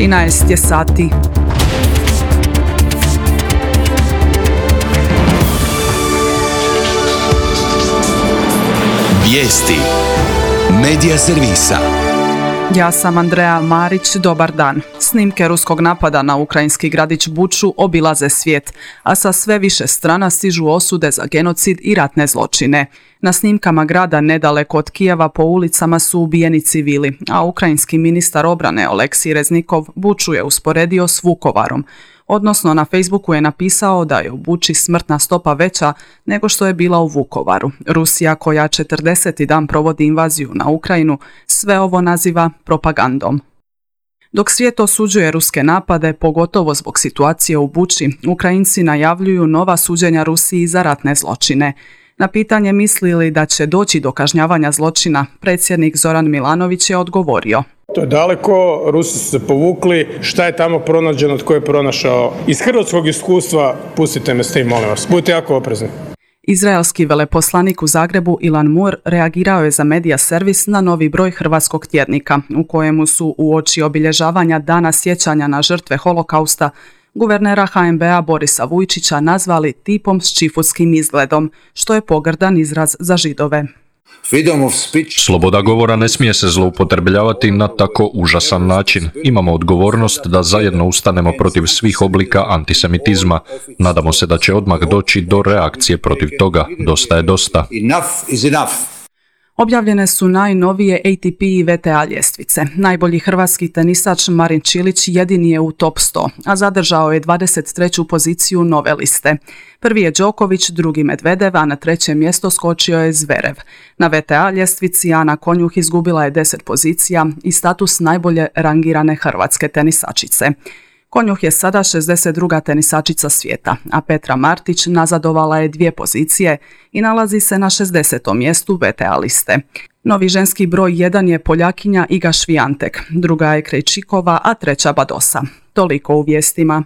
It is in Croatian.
13 je sati. Vijesti Medija servisa. Ja sam Andreja Marić, dobar dan. Snimke ruskog napada na ukrajinski gradić Buču obilaze svijet, a sa sve više strana stižu osude za genocid i ratne zločine. Na snimkama grada nedaleko od Kijeva po ulicama su ubijeni civili, a ukrajinski ministar obrane Oleksij Reznikov Buču je usporedio s Vukovarom. Odnosno, na Facebooku je napisao da je u Buči smrtna stopa veća nego što je bila u Vukovaru. Rusija, koja 40. dan provodi invaziju na Ukrajinu, sve ovo naziva propagandom. Dok svijet osuđuje ruske napade, pogotovo zbog situacije u Buči, Ukrajinci najavljuju nova suđenja Rusiji za ratne zločine. Na pitanje misli li da će doći do kažnjavanja zločina, predsjednik Zoran Milanović je odgovorio: To je daleko, Rusi su se povukli, šta je tamo pronađeno, tko je pronašao. Iz hrvatskog iskustva pustite me s tim, molim vas, budite jako oprezni. Izraelski veleposlanik u Zagrebu Ilan Mur reagirao je za Medija servis na novi broj hrvatskog tjednika, u kojemu su uoči obilježavanja Dana sjećanja na žrtve holokausta guvernera HNB-a Borisa Vujčića nazvali tipom s čifutskim izgledom, što je pogrdan izraz za Židove. Sloboda govora ne smije se zloupotrebljavati na tako užasan način. Imamo odgovornost da zajedno ustanemo protiv svih oblika antisemitizma. Nadamo se da će odmah doći do reakcije protiv toga. Dosta je dosta. Objavljene su najnovije ATP i VTA ljestvice. Najbolji hrvatski tenisač Marin Čilić jedini je u top 100, a zadržao je 23. poziciju nove liste. Prvi je Đoković, drugi Medvedev, a na treće mjesto skočio je Zverev. Na VTA ljestvici Ana Konjuh izgubila je 10 pozicija i status najbolje rangirane hrvatske tenisačice. Konjuh je sada 62. tenisačica svijeta, a Petra Martić nazadovala je 2 pozicije i nalazi se na 60. mjestu VTA liste. Novi ženski broj 1 je Poljakinja Iga Švijantek, druga je Krejčikova, a treća Badosa. Toliko u vijestima.